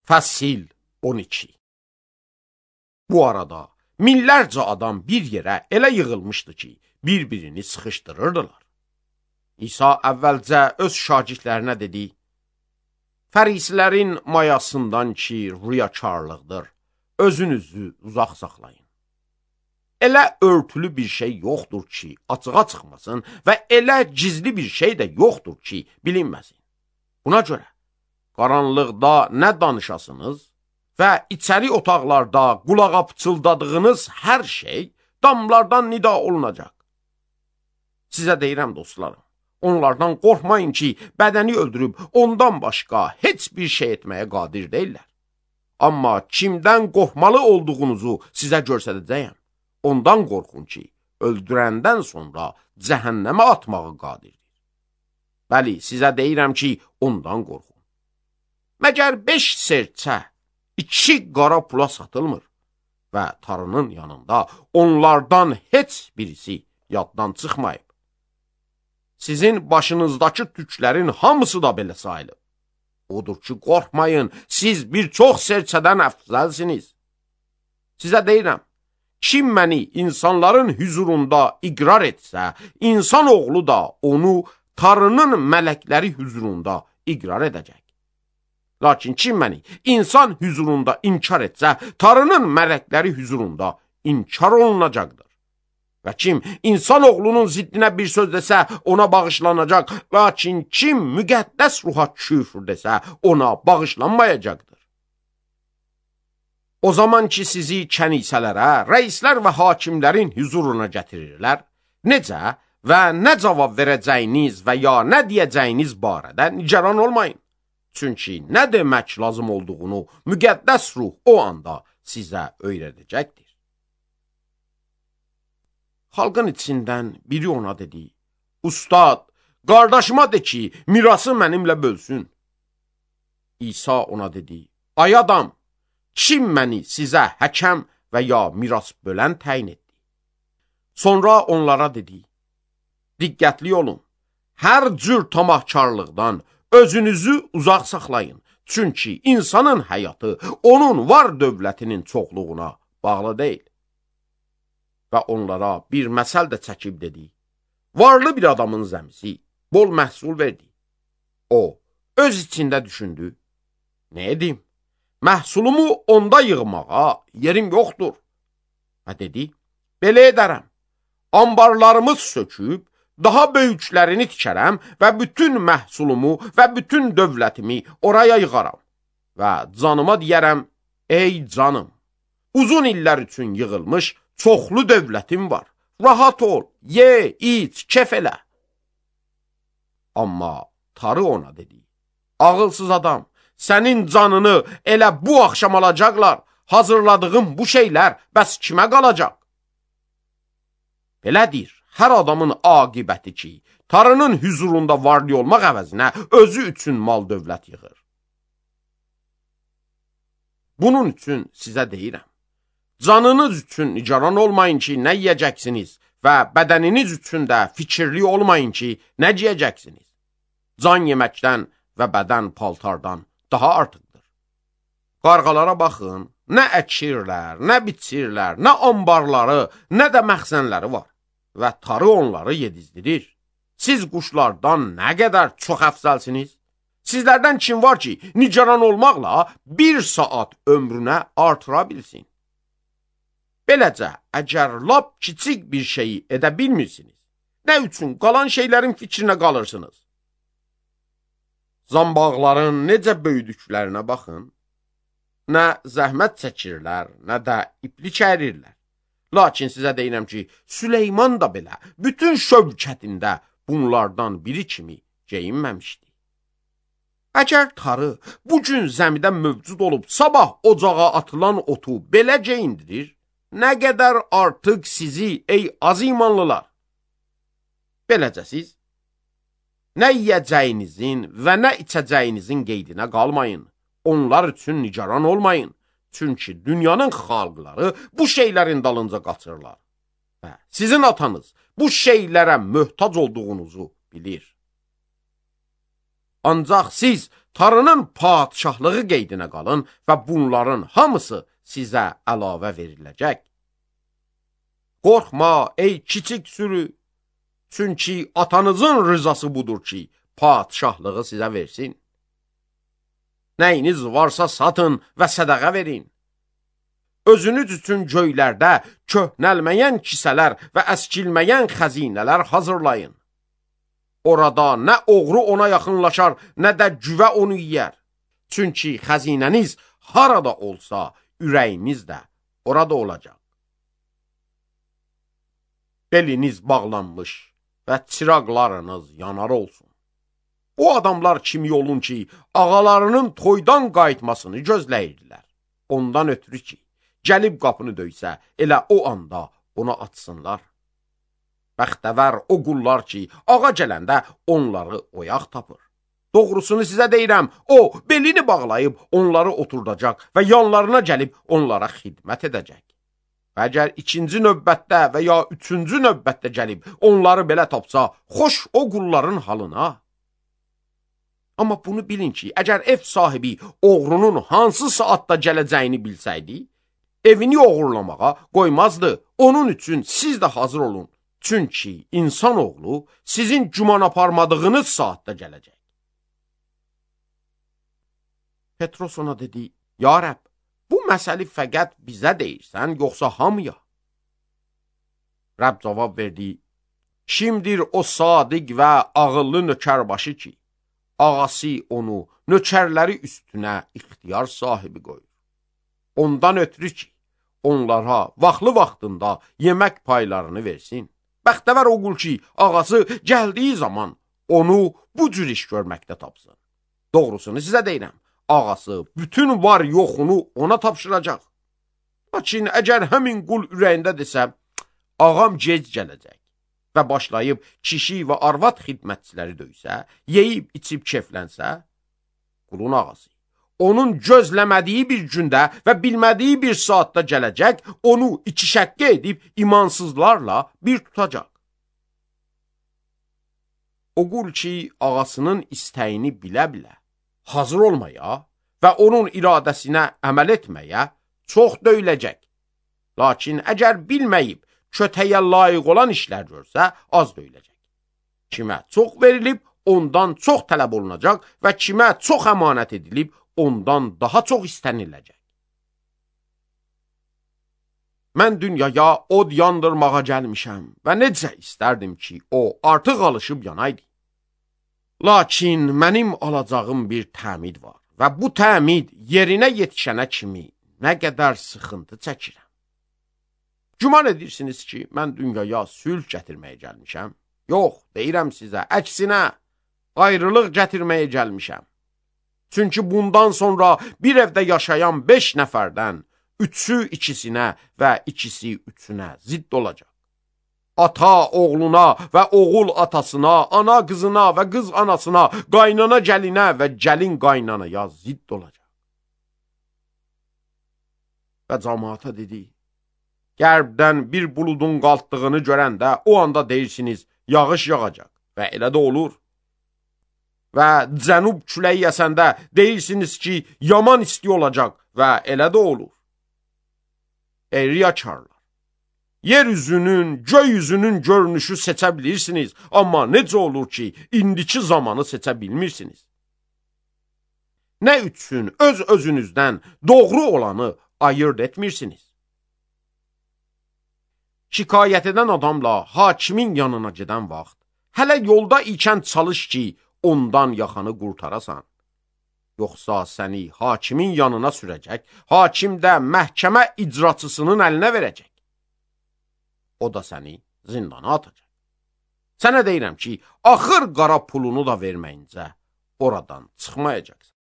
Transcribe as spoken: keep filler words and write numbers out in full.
Fəsil on iki. Bu arada minlərcə adam bir yerə elə yığılmışdı ki, bir-birini sıxışdırırdılar. İsa əvvəlcə öz şagirdlərinə dedi: Fərisilərin mayasından ki, riyakarlıqdır, özünüzü uzaq saxlayın. Elə örtülü bir şey yoxdur ki, açığa çıxmasın və elə gizli bir şey də yoxdur ki, bilinməsin. Buna görə qaranlıqda nə danışasınız və içəri otaqlarda qulağa pıçıldadığınız hər şey damlardan nida olunacaq. Sizə deyirəm dostlarım, onlardan qorxmayın ki, bədəni öldürüb ondan başqa heç bir şey etməyə qadir deyirlər. Amma kimdən qorxmalı olduğunuzu sizə göstərəcəyəm. Ondan qorxun ki, öldürəndən sonra cəhənnəmə atmağı qadirdir. Bəli, sizə deyirəm ki, ondan qorxun. Məgər beş serçə iki qara pula satılmır və tarının yanında onlardan heç birisi yaddan çıxmayıb. Sizin başınızdakı tüklərin hamısı da belə sayılıb. Odur ki, qorxmayın, siz bir çox serçədən əfzəlsiniz. Sizə deyirəm, kim məni insanların hüzurunda iqrar etsə, insan oğlu da onu tarının mələkləri hüzurunda iqrar edəcək. Lakin kim məni insan hüzurunda inkar etsə, tarının mələkləri hüzurunda inkar olunacaqdır. Və kim insan oğlunun ziddinə bir söz desə, ona bağışlanacaq. Lakin kim müqəddəs ruha küfr desə, ona bağışlanmayacaqdır. O zaman ki, sizi kənisələrə, rəislər və hakimlərin hüzuruna gətirirlər, necə və nə cavab verəcəyiniz və ya nə deyəcəyiniz barədə nigaran olmayın. Çünki nə demək lazım olduğunu müqəddəs ruh o anda sizə öyrədəcəkdir. Xalqın içindən biri ona dedi: Ustad, qardaşıma de ki, mirası mənimlə bölsün. İsa ona dedi: Ay adam, kim məni sizə həkəm və ya miras bölən təyin etdi? Sonra onlara dedi: Diqqətli olun, hər cür tamahkarlıqdan özünüzü uzaq saxlayın. Çünki insanın həyatı onun var dövlətinin çoxluğuna bağlı deyil. Və onlara bir məsəl də çəkib dedi: Varlı bir adamın zəmisi bol məhsul verdi. O, öz içində düşündü: Nə edim? Məhsulumu onda yığmağa yerim yoxdur. Və dedi: Belə edərəm. Ambarlarımız söküb, daha böyüklərini tikərəm və bütün məhsulumu və bütün dövlətimi oraya yığaram. Və canıma deyərəm: Ey canım, uzun illər üçün yığılmış çoxlu dövlətim var. Rahat ol, ye, iç, kef elə. Amma tarı ona dedi: Ağılsız adam, sənin canını elə bu axşam alacaqlar. Hazırladığım bu şeylər bəs kimə qalacaq? Belədir hər adamın aqibəti ki, tarının hüzurunda varlı olmaq əvəzinə özü üçün mal dövlət yığır. Bunun üçün sizə deyirəm, canınız üçün nigaran olmayın ki, nə yiyəcəksiniz və bədəniniz üçün də fikirli olmayın ki, nə giyəcəksiniz. Can yeməkdən və bədən paltardan daha artıqdır. Qarğalara baxın, nə əkirlər, nə biçirlər, nə ambarları, nə də məxzənləri var və tarı onları yedizdirir. Siz quşlardan nə qədər çox əfzəlsiniz? Sizlərdən kim var ki, nigaran olmaqla bir saat ömrünə artıra bilsin? Beləcə, əgər lap kiçik bir şeyi edə bilmirsiniz, nə üçün qalan şeylərin fikrinə qalırsınız? Zambaqların necə böyüdüklərinə baxın. Nə zəhmət çəkirlər, nə də iplik ərirlər. Lakin sizə deyirəm ki, Süleyman da belə bütün şövkətində bunlardan biri kimi geyinməmişdi. Əgər tarı bugün zəmidə mövcud olub sabah ocağa atılan otu belə geyindirir, nə qədər artıq sizi, ey az imanlılar. Beləcə siz nə yiyəcəyinizin və nə içəcəyinizin qeydinə qalmayın. Onlar üçün nigaran olmayın. Çünki dünyanın xalqları bu şeylərin dalınca qaçırlar. Və sizin atanız bu şeylərə möhtac olduğunuzu bilir. Ancaq siz tarının padişahlığı qeydinə qalın və bunların hamısı sizə əlavə veriləcək. Qorxma ey kiçik sürü, çünki atanızın rızası budur ki, padişahlığı sizə versin. Nəyiniz varsa satın və sədəqə verin. Özünüz üçün göylərdə köhnəlməyən kisələr və əskilməyən xəzinələr hazırlayın. Orada nə oğru ona yaxınlaşar, nə də cüvə onu yiyər. Çünki xəzinəniz harada olsa, ürəyiniz də orada olacaq. Beliniz bağlanmış və çıraqlarınız yanar olsun. O adamlar kimi olun ki, ağalarının toydan qayıtmasını gözləyirdilər. Ondan ötürü ki, gəlib qapını döysə, elə o anda ona atsınlar. Bəxtəvər o qullar ki, ağa gələndə onları oyaq tapır. Doğrusunu sizə deyirəm, o belini bağlayıb onları oturdacaq və yanlarına gəlib onlara xidmət edəcək. Və əgər ikinci növbətdə və ya üçüncü növbətdə gəlib onları belə tapsa, xoş o qulların halına. Amma bunu bilin ki, əgər ev sahibi oğrunun hansı saatda gələcəyini bilsəydi, evini oğurlamağa qoymazdı. Onun üçün siz də hazır olun. Çünki insanoğlu sizin güman aparmadığınız saatda gələcək. Petros ona dedi, ya Rəbb, bu məsəli fəqət bizə deyirsən, yoxsa hamıya? Rəbb cavab verdi, kimdir o sadiq və ağıllı nökərbaşı ki, ağası onu nökərləri üstünə ixtiyar sahibi qoyur. Ondan ötürü ki, onlara vaxtlı vaxtında yemək paylarını versin. Bəxtəvər o qul ki, ağası gəldiyi zaman onu bu cür iş görməkdə tapsın. Doğrusunu sizə deyirəm, ağası bütün var yoxunu ona tapşıracaq. Lakin əgər həmin qul ürəyində desə, ağam gec gələcək və başlayıb kişi və arvad xidmətçiləri döysə, yeyib içib keflənsə, qulun ağası onun gözləmədiyi bir gündə və bilmədiyi bir saatda gələcək, onu iki şəqqə edib imansızlarla bir tutacaq. O qul ki, ağasının istəyini bilə-bilə hazır olmaya və onun iradəsinə əməl etməyə çox döyüləcək. Lakin əgər bilməyib, kötəyə layiq olan işlər görsə, az döyüləcək. Kimə çox verilib, ondan çox tələb olunacaq və kimə çox əmanət edilib, ondan daha çox istəniləcək. Mən dünyaya od yandırmağa gəlmişəm və necə istərdim ki, o artıq alışıb yanaydı. Lakin mənim alacağım bir təmid var və bu təmid yerinə yetişənə kimi nə qədər sıxıntı çəkirəm. Güman edirsiniz ki, mən dünyaya sülh gətirməyə gəlmişəm? Yox, deyirəm sizə, əksinə, ayrılıq gətirməyə gəlmişəm. Çünki bundan sonra bir evdə yaşayan beş nəfərdən üçü ikisinə və ikisi üçünə zidd olacaq. Ata oğluna və oğul atasına, ana qızına və qız anasına, qaynana gəlinə və gəlin qaynanaya zidd olacaq. Və cəmaata dedi, qərbdən bir buludun qalxdığını görəndə o anda deyirsiniz, yağış yağacaq və elə də olur. Və cənub küləyi əsəndə deyirsiniz ki, yaman isti olacaq və elə də olur. Ey riyakarlar, yer üzünün, göy üzünün görünüşü seçə bilirsiniz, amma necə olur ki, indiki zamanı seçə bilmirsiniz? Nə üçün öz özünüzdən doğru olanı ayırt etmirsiniz? Şikayət edən adamla hakimin yanına gedən vaxt, hələ yolda ikən çalış ki, ondan yaxanı qurtarasan. Yoxsa səni hakimin yanına sürəcək, hakim də məhkəmə icraçısının əlinə verəcək. O da səni zindana atacaq. Sənə deyirəm ki, axır qara pulunu da verməyincə oradan çıxmayacaqsan.